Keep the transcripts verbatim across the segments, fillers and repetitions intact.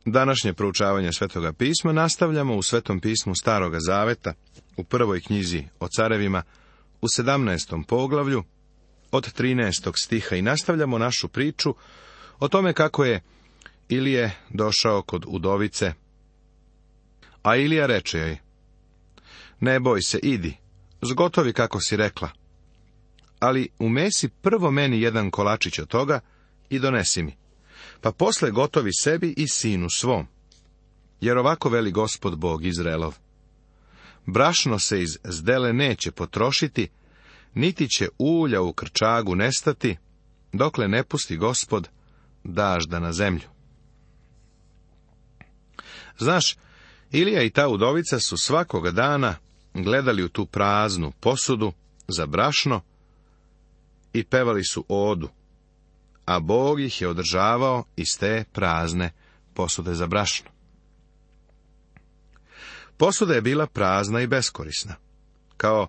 Današnje proučavanje Svetoga pisma nastavljamo u Svetom pismu Staroga zaveta, u prvoj knjizi o carevima, u sedamnaestom poglavlju, od trinaestog stiha, i nastavljamo našu priču o tome kako je Ilije došao kod udovice, a Ilija reče joj: ne boj se, idi, zgotovi kako si rekla, ali umesi prvo meni jedan kolačić od toga i donesi mi, pa posle gotovi sebi i sinu svom. Jer ovako veli Gospod Bog Izraelov: brašno se iz zdele neće potrošiti, niti će ulja u krčagu nestati, dokle ne pusti Gospod dažda na zemlju. Znaš, Ilija i ta udovica su svakoga dana gledali u tu praznu posudu za brašno i pevali su odu, a Bog ih je održavao iz te prazne posude za brašno. Posuda je bila prazna i beskorisna, kao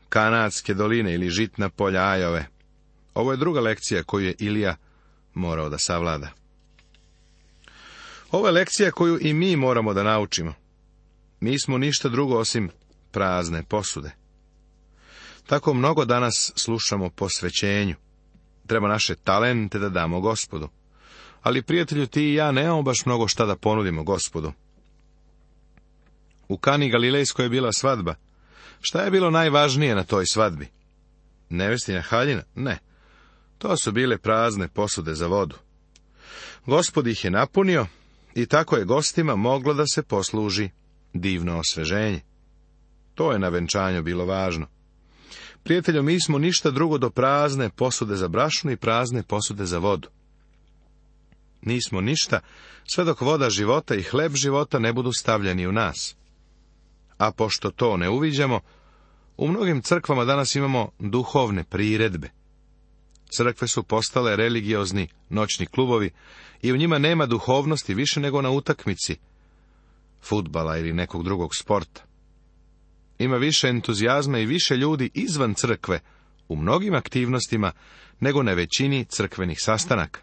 kanadske doline ili žitna polja Ajove. Ovo je druga lekcija koju je Ilija morao da savlada. Ovo je lekcija koju i mi moramo da naučimo. Nismo ništa drugo osim prazne posude. Tako mnogo danas slušamo posvećenju. Treba naše talente da damo Gospodu. Ali, prijatelju, ti i ja nemamo baš mnogo šta da ponudimo Gospodu. U Kani Galilejskoj je bila svadba. Šta je bilo najvažnije na toj svadbi? Nevestina haljina? Ne. To su bile prazne posude za vodu. Gospod ih je napunio i tako je gostima moglo da se posluži divno osveženje. To je na venčanju bilo važno. Prijatelju, mi smo ništa drugo do prazne posude za brašno i prazne posude za vodu. Nismo ništa, sve dok voda života i hleb života ne budu stavljeni u nas. A pošto to ne uviđamo, u mnogim crkvama danas imamo duhovne priredbe. Crkve su postale religiozni noćni klubovi i u njima nema duhovnosti više nego na utakmici fudbala ili nekog drugog sporta. Ima više entuzijazma i više ljudi izvan crkve u mnogim aktivnostima nego na većini crkvenih sastanaka.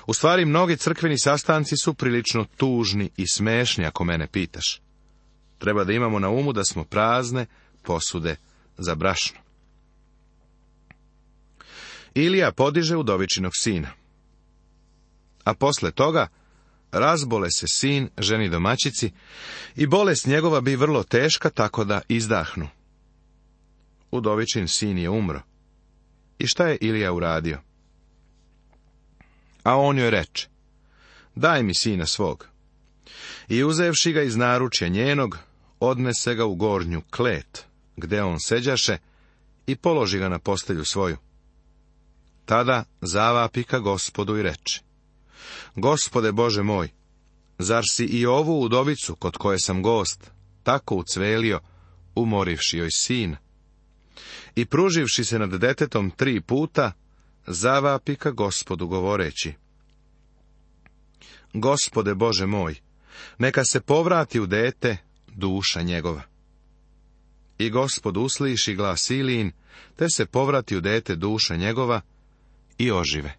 U stvari, mnogi crkveni sastanci su prilično tužni i smešni, ako mene pitaš. Treba da imamo na umu da smo prazne posude za brašno. Ilija podiže udovičinog sina. A posle toga razbole se sin ženi domaćici i bolest njegova bi vrlo teška, tako da izdahnu. Udovičin sin je umro. I šta je Ilija uradio? A on joj reče: daj mi sina svog. I uzevši ga iz naručja njenog, odnese ga u gornju klet, gde on seđaše, i položi ga na postelju svoju. Tada zavapi ka Gospodu i reče: Gospode Bože moj, zar si i ovu udovicu, kod koje sam gost, tako ucvelio, umorivši joj sin? I pruživši se nad detetom tri puta, zavapi ka Gospodu govoreći: Gospode Bože moj, neka se povrati u dete duša njegova. I Gospod usliši glas Ilijin, te se povrati u dete duša njegova i ožive.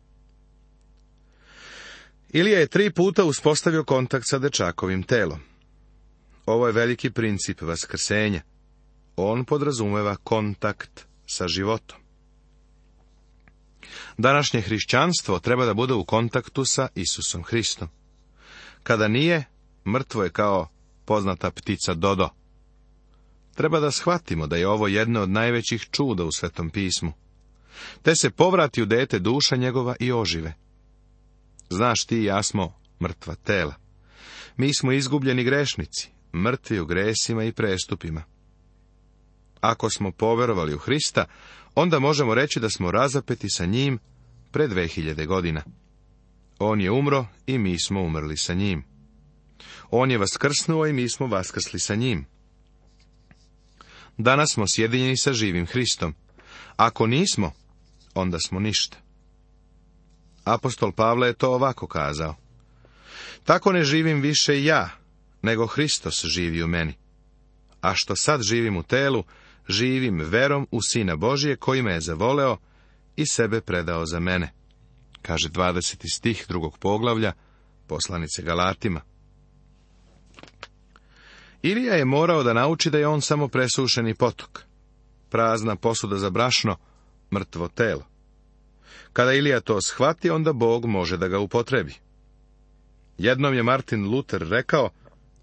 Ilija je tri puta uspostavio kontakt sa dečakovim telom. Ovo je veliki princip vaskrsenja. On podrazumeva kontakt sa životom. Današnje hrišćanstvo treba da bude u kontaktu sa Isusom Hristom. Kada nije, mrtvo je kao poznata ptica Dodo. Treba da shvatimo da je ovo jedno od najvećih čuda u Svetom pismu. Te se povrati u dete duša njegova i ožive. Znaš, ti i ja smo mrtva tela. Mi smo izgubljeni grešnici, mrtvi u gresima i prestupima. Ako smo poverovali u Hrista, onda možemo reći da smo razapeti sa njim pre dve hiljade godina. On je umro i mi smo umrli sa njim. On je vaskrsnuo i mi smo vaskrsli sa njim. Danas smo sjedinjeni sa živim Hristom. Ako nismo, onda smo ništa. Apostol Pavle je to ovako kazao: tako ne živim više ja, nego Hristos živi u meni. A što sad živim u telu, živim verom u Sina Božije, koji me je zavoleo i sebe predao za mene. Kaže dvadeseti stih drugog poglavlja poslanice Galatima. Ilija je morao da nauči da je on samo presušeni potok, prazna posuda za brašno, mrtvo telo. Kada Ilija to shvati, onda Bog može da ga upotrebi. Jednom je Martin Luther rekao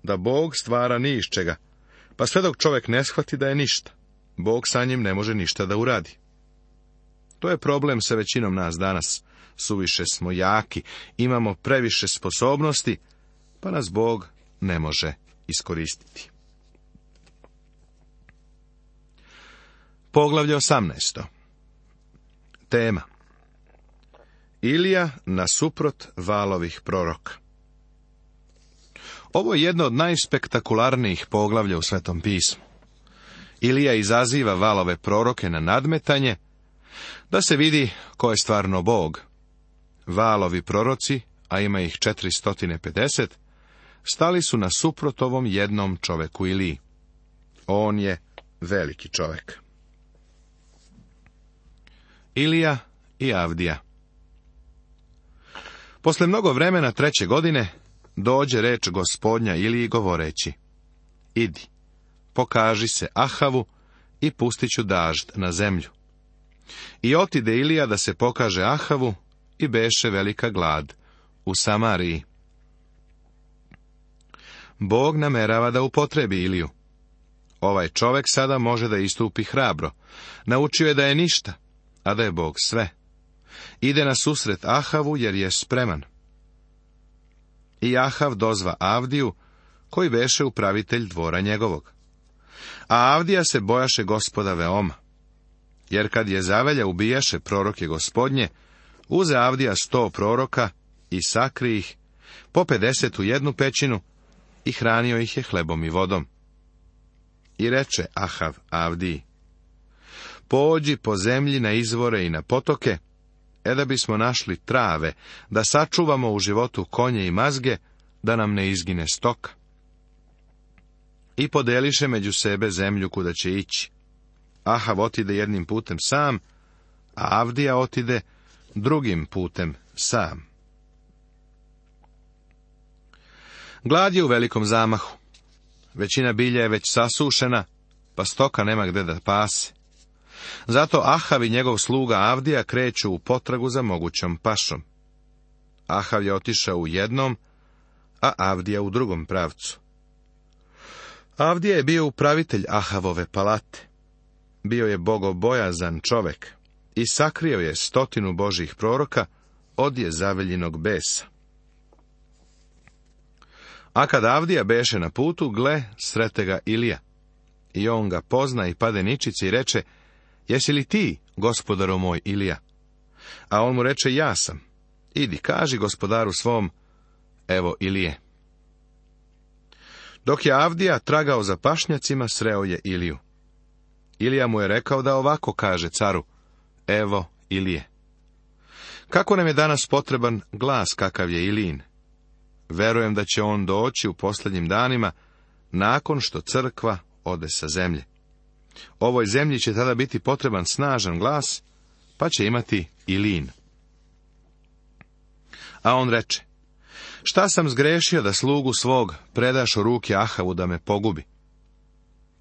da Bog stvara ni iz čega, pa sve dok čovjek ne shvati da je ništa, Bog sa njim ne može ništa da uradi. To je problem sa većinom nas danas. Suviše smo jaki, imamo previše sposobnosti, pa nas Bog ne može iskoristiti. Poglavlje osamnaesto. Tema: Ilija nasuprot valovih proroka. Ovo je jedno od najspektakularnijih poglavlja u Svetom pismu. Ilija izaziva valove proroke na nadmetanje, da se vidi ko je stvarno Bog. Valovi proroci, a ima ih četiristo pedeset, stali su nasuprot ovom jednom čoveku Iliji. On je veliki čovek. Ilija i Avdija. Posle mnogo vremena treće godine dođe reč Gospodnja Iliji govoreći: Idi, pokaži se Ahavu i pustit ću dažd na zemlju. I otide Ilija da se pokaže Ahavu, i beše velika glad u Samariji. Bog namerava da upotrebi Iliju. Ovaj čovek sada može da istupi hrabro. Naučio je da je ništa, a da je Bog sve. Ide na susret Ahavu jer je spreman. I Ahav dozva Avdiju, koji beše upravitelj dvora njegovog. A Avdija se bojaše Gospoda veoma, jer kad je zavelja ubijaše proroke Gospodnje, uze Avdija sto proroka i sakri ih, po pedeset u jednu pećinu, i hranio ih je hlebom i vodom. I reče Ahav Avdiji: Pođi po zemlji na izvore i na potoke, e da bismo našli trave, da sačuvamo u životu konje i mazge, da nam ne izgine stoka. I podeliše među sebe zemlju kuda će ići. Ahav otide jednim putem sam, a Avdija otide drugim putem sam. Glad je u velikom zamahu. Većina bilja je već sasušena, pa stoka nema gde da pase. Zato Ahav i njegov sluga Avdija kreću u potragu za mogućom pašom. Ahav je otišao u jednom, a Avdija u drugom pravcu. Avdija je bio upravitelj Ahavove palate. Bio je bogobojazan čovek i sakrio je stotinu Božjih proroka od Jezaveljinog besa. A kad Avdija beše na putu, gle, srete ga Ilija. I on ga pozna i pade ničice i reče: Jesi li ti, gospodaru moj Ilija? A on mu reče: Ja sam. Idi, kaži gospodaru svom: Evo Ilije. Dok je Avdija tragao za pašnjacima, sreo je Iliju. Ilija mu je rekao da ovako kaže caru: Evo Ilije. Kako nam je danas potreban glas kakav je Ilijin? Verujem da će on doći u posljednjim danima, nakon što crkva ode sa zemlje. Ovoj zemlji će tada biti potreban snažan glas, pa će imati Ilijin. A on reče: Šta sam zgrešio da slugu svog predaš u ruke Ahavu da me pogubi?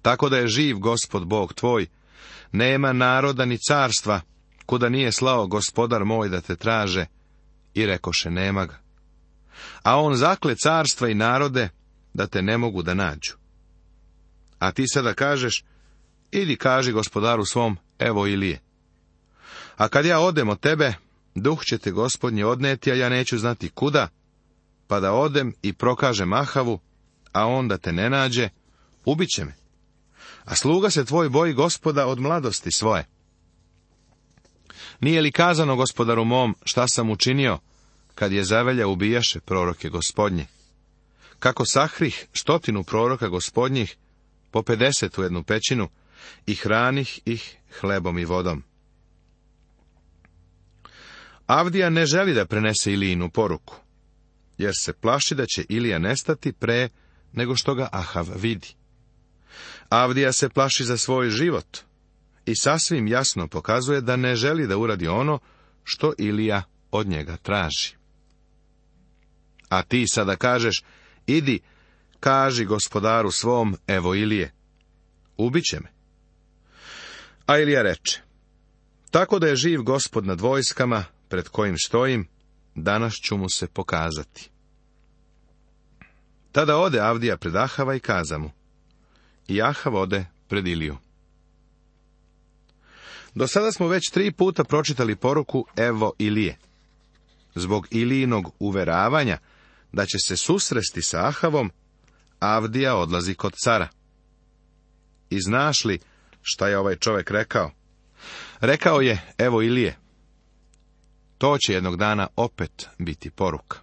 Tako da je živ Gospod Bog tvoj, nema naroda ni carstva, kuda nije slao gospodar moj da te traže, i rekoše: nema ga. A on zakle carstva i narode da te ne mogu da nađu. A ti sada kažeš: idi kaži gospodaru svom: evo Ilije. A kad ja odem od tebe, duh će te Gospodnji odneti, a ja neću znati kuda, pa da odem i prokažem Ahavu, a on da te ne nađe, ubiće me. A sluga se tvoj boji Gospoda od mladosti svoje. Nije li kazano gospodaru mom šta sam učinio, kad je zavelja ubijaše proroke Gospodnje? Kako sahrih stotinu proroka Gospodnjih, po pedeset u jednu pećinu, i hranih ih hlebom i vodom. Avdija ne želi da prenese Ilijinu poruku, jer se plaši da će Ilija nestati pre nego što ga Ahav vidi. Avdija se plaši za svoj život i sasvim jasno pokazuje da ne želi da uradi ono što Ilija od njega traži. A ti sada kažeš, idi, kaži gospodaru svom, evo Ilije, ubiće me. A Ilija reče, tako da je živ Gospod nad vojskama, pred kojim stojim, danas ću mu se pokazati. Tada ode Avdija pred Ahava i kaza mu, i Ahav ode pred Iliju. Do sada smo već tri puta pročitali poruku evo Ilije. Zbog Ilijinog uveravanja da će se susresti sa Ahavom, Avdija odlazi kod cara. I znaš li šta je ovaj čovjek rekao? Rekao je, evo Ilije, to će jednog dana opet biti poruka.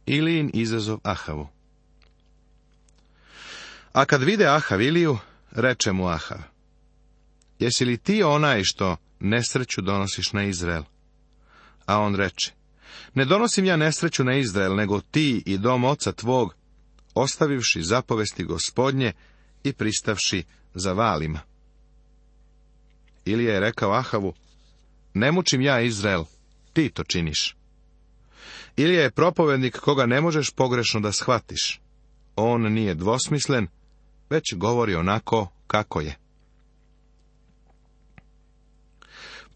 Ilijin izazov Ahavu. A kad vide Ahav Iliju, reče mu Ahav, jesi li ti onaj što nesreću donosiš na Izrael? A on reče, ne donosim ja nesreću na Izrael, nego ti i dom oca tvog, ostavivši zapovesti Gospodnje i pristavši za Valima. Ilija je rekao Ahavu, ne mučim ja Izrael, ti to činiš. Ilija je propovednik koga ne možeš pogrešno da shvatiš. On nije dvosmislen, već govori onako kako je.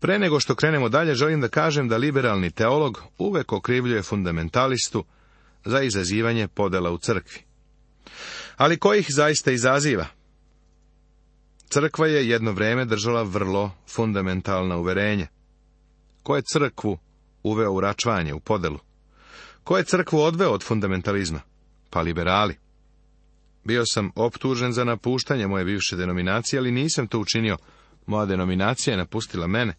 Pre nego što krenemo dalje, želim da kažem da liberalni teolog uvek okrivljuje fundamentalistu za izazivanje podela u crkvi. Ali ko ih zaista izaziva? Crkva je jedno vreme držala vrlo fundamentalna uverenja. Ko je crkvu uveo u račvanje, u podelu? Ko je crkvu odveo od fundamentalizma? Pa liberali. Bio sam optužen za napuštanje moje bivše denominacije, ali nisam to učinio. Moja denominacija je napustila mene.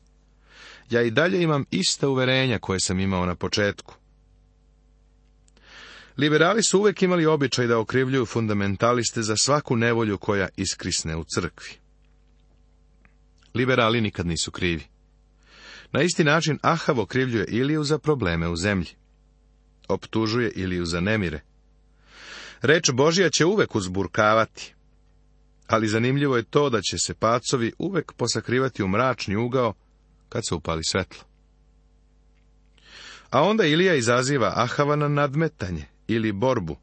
Ja i dalje imam ista uverenja koje sam imao na početku. Liberali su uvek imali običaj da okrivljuju fundamentaliste za svaku nevolju koja iskrisne u crkvi. Liberali nikad nisu krivi. Na isti način Ahav okrivljuje Iliju za probleme u zemlji. Optužuje Iliju za nemire. Reč Božja će uvek uzburkavati. Ali zanimljivo je to da će se pacovi uvek posakrivati u mračni ugao kad se upali svetlo. A onda Ilija izaziva Ahava na nadmetanje ili borbu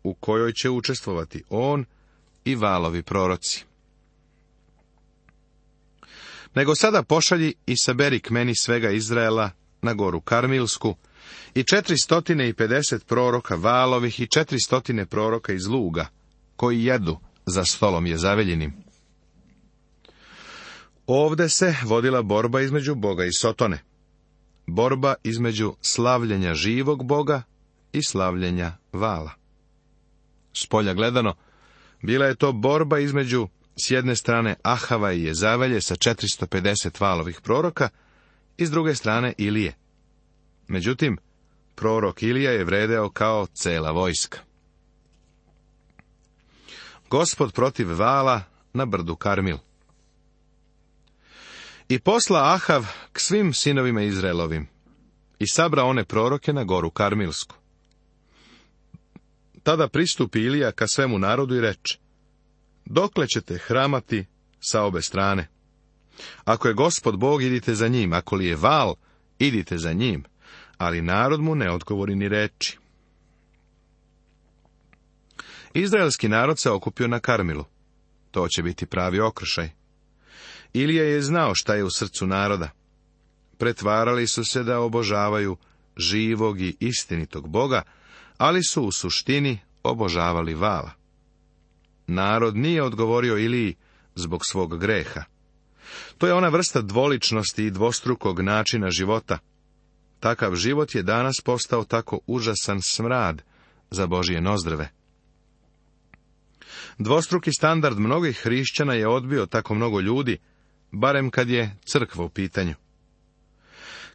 u kojoj će učestvovati on i Valovi proroci. Nego sada pošalji i saberi k meni svega Izraela na goru Karmilsku i četiristo pedeset proroka Valovih i četiristo proroka iz luga, koji jedu za stolom Jezaveljinim. Ovde se vodila borba između Boga i Sotone. Borba između slavljenja živog Boga i slavljenja Vala. Spolja gledano, bila je to borba između s jedne strane Ahava i Jezavelje sa četiristo pedeset Valovih proroka i s druge strane Ilije. Međutim, prorok Ilija je vredeo kao cela vojska. Gospod protiv Vala na brdu Karmil. I posla Ahav k svim sinovima Izraelovim i sabra one proroke na goru Karmilsku. Tada pristupi Ilija ka svemu narodu i reče, dokle ćete hramati sa obe strane? Ako je Gospod Bog, idite za njim, ako li je Val, idite za njim, ali narod mu ne odgovori ni reči. Izraelski narod se okupio na Karmilu. To će biti pravi okršaj. Ilija je znao šta je u srcu naroda. Pretvarali su se da obožavaju živog i istinitog Boga, ali su u suštini obožavali Vala. Narod nije odgovorio Iliji zbog svog greha. To je ona vrsta dvoličnosti i dvostrukog načina života. Takav život je danas postao tako užasan smrad za Božje nozdrave. Dvostruki standard mnogih hrišćana je odbio tako mnogo ljudi, barem kad je crkva u pitanju.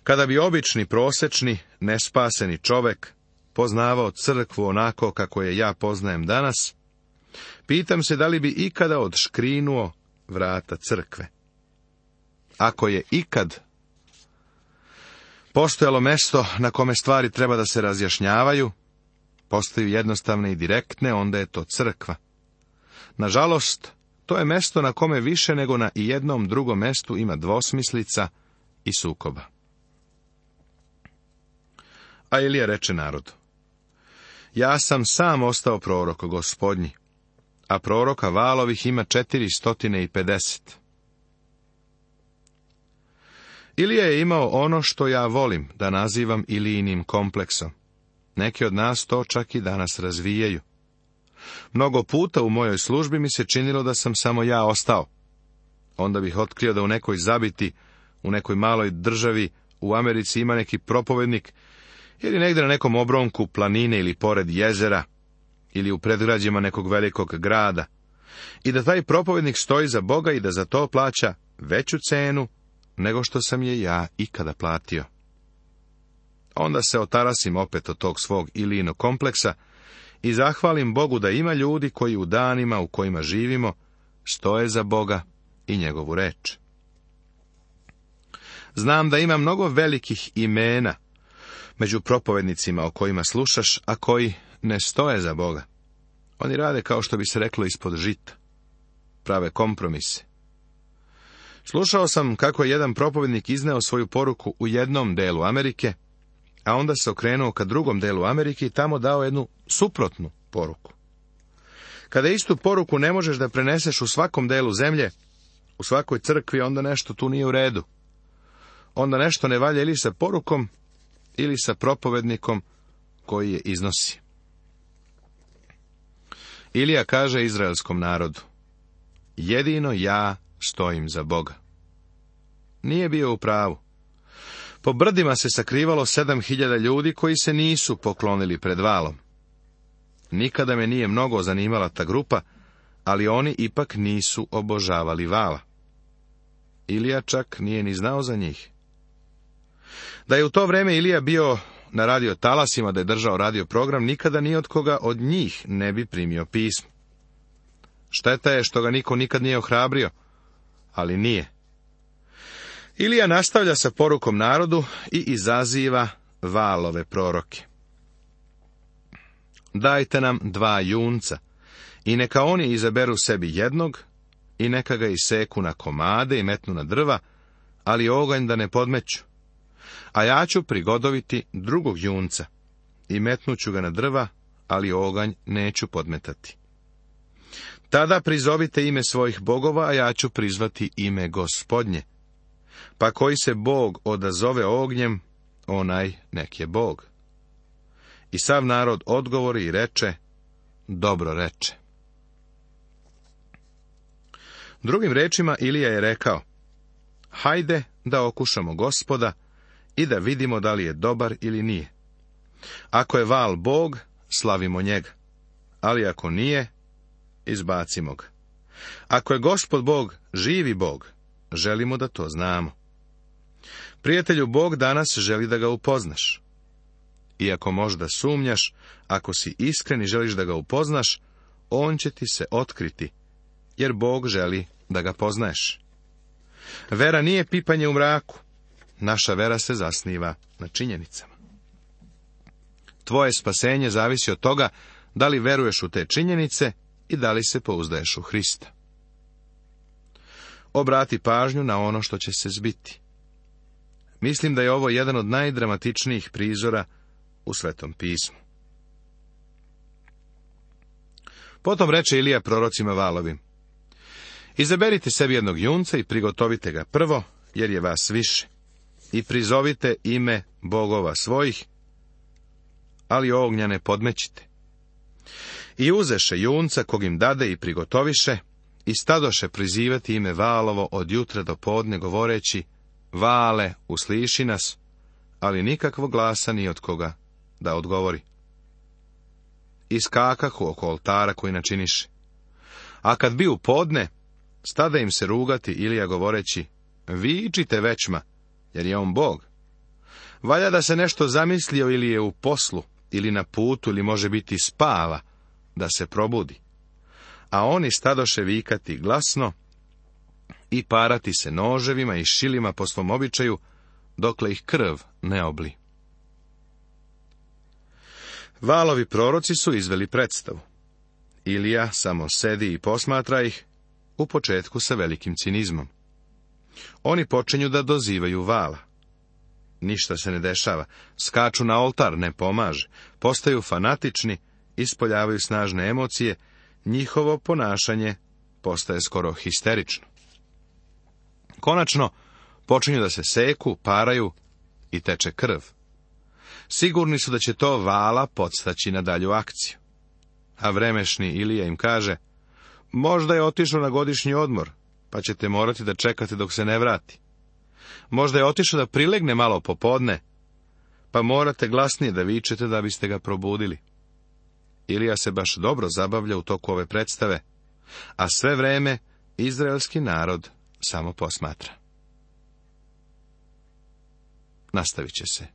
Kada bi obični, prosečni, nespaseni čovek poznavao crkvu onako kako je ja poznajem danas, pitam se da li bi ikada odškrinuo vrata crkve. Ako je ikad postojalo mesto na kome stvari treba da se razjašnjavaju, postaju jednostavne i direktne, onda je to crkva. Nažalost, to je mesto na kome više nego na ijednom drugom mestu ima dvosmislica i sukoba. A Ilija reče narodu: Ja sam sam ostao prorok Gospodnji, a proroka Valovih ima četiri stotine i pedeset. Ilija je imao ono što ja volim da nazivam Ilijinim kompleksom. Neki od nas to čak i danas razvijaju. Mnogo puta u mojoj službi mi se činilo da sam samo ja ostao. Onda bih otkrio da u nekoj zabiti, u nekoj maloj državi u Americi ima neki propovednik, ili negdje na nekom obronku planine ili pored jezera, ili u predgrađima nekog velikog grada, i da taj propovednik stoji za Boga i da za to plaća veću cenu nego što sam je ja ikada platio. Onda se otarasim opet od tog svog Ilijinog kompleksa i zahvalim Bogu da ima ljudi koji u danima u kojima živimo stoje za Boga i njegovu reč. Znam da ima mnogo velikih imena među propovednicima o kojima slušaš, a koji ne stoje za Boga. Oni rade, kao što bi se reklo, ispod žita. Prave kompromise. Slušao sam kako je jedan propovednik izneo svoju poruku u jednom delu Amerike, a onda se okrenuo ka drugom delu Amerike i tamo dao jednu suprotnu poruku. Kada istu poruku ne možeš da preneseš u svakom delu zemlje, u svakoj crkvi, onda nešto tu nije u redu. Onda nešto ne valja ili sa porukom, ili sa propovednikom koji je iznosi. Ilija kaže izraelskom narodu: Jedino ja stojim za Boga. Nije bio u pravu. Po brdima se sakrivalo sedam hiljada ljudi koji se nisu poklonili pred Valom. Nikada me nije mnogo zanimala ta grupa, ali oni ipak nisu obožavali Vala. Ilija čak nije ni znao za njih. Da je u to vrijeme Ilija bio na radio talasima, da je držao radio program, nikada ni od koga od njih ne bi primio pismo. Šteta je što ga niko nikad nije ohrabrio, ali nije. Ilija nastavlja sa porukom narodu i izaziva Valove proroke. Dajte nam dva junca, i neka oni izaberu sebi jednog, i neka ga iseku na komade i metnu na drva, ali oganj da ne podmeću. A ja ću prigodoviti drugog junca, i metnuću ga na drva, ali oganj neću podmetati. Tada prizovite ime svojih bogova, a ja ću prizvati ime Gospodnje. Pa koji se Bog odazove ognjem, onaj nek je Bog. I sav narod odgovori i reče: Dobro reče. Drugim rečima Ilija je rekao: Hajde da okušamo Gospoda i da vidimo da li je dobar ili nije. Ako je Val Bog, slavimo njega, ali ako nije, izbacimo ga. Ako je Gospod Bog živi Bog, želimo da to znamo. Prijatelju, Bog danas želi da ga upoznaš. Iako možda sumnjaš, ako si iskren i želiš da ga upoznaš, on će ti se otkriti, jer Bog želi da ga poznaješ. Vera nije pipanje u mraku. Naša vera se zasniva na činjenicama. Tvoje spasenje zavisi od toga da li veruješ u te činjenice i da li se pouzdaješ u Hrista. Obrati pažnju na ono što će se zbiti. Mislim da je ovo jedan od najdramatičnijih prizora u Svetom pismu. Potom reče Ilija prorocima Valovim: Izaberite sebi jednog junca i prigotovite ga prvo, jer je vas više, i prizovite ime bogova svojih, ali ognja ne podmećite. I uzeše junca kog im dade i prigotoviše, i stadoše prizivati ime Valovo od jutra do podne, govoreći: Vale, usliši nas, ali nikakvog glasa ni od koga da odgovori. Iskakahu oko oltara koji načiniše. A kad bi u podne, stada im se rugati Ilija govoreći: Vičite večma, jer je on Bog. Valja da se nešto zamislio ili je u poslu, ili na putu, ili može biti spava, da se probudi. A oni stadoše vikati glasno i parati se noževima i šilima po svom običaju, dokle ih krv ne obli. Valovi proroci su izveli predstavu. Ilija samo sedi i posmatra ih, u početku sa velikim cinizmom. Oni počinju da dozivaju Vala. Ništa se ne dešava. Skaču na oltar, ne pomaže. Postaju fanatični, ispoljavaju snažne emocije, njihovo ponašanje postaje skoro histerično. Konačno, počinju da se seku, paraju i teče krv. Sigurni su da će to vala podstaći na dalju akciju. A vremešni Ilija im kaže, možda je otišao na godišnji odmor, pa ćete morati da čekate dok se ne vrati. Možda je otišao da prilegne malo popodne, pa morate glasnije da vičete da biste ga probudili. Ilija se baš dobro zabavlja u toku ove predstave, a sve vreme izraelski narod samo posmatra. Nastavit će se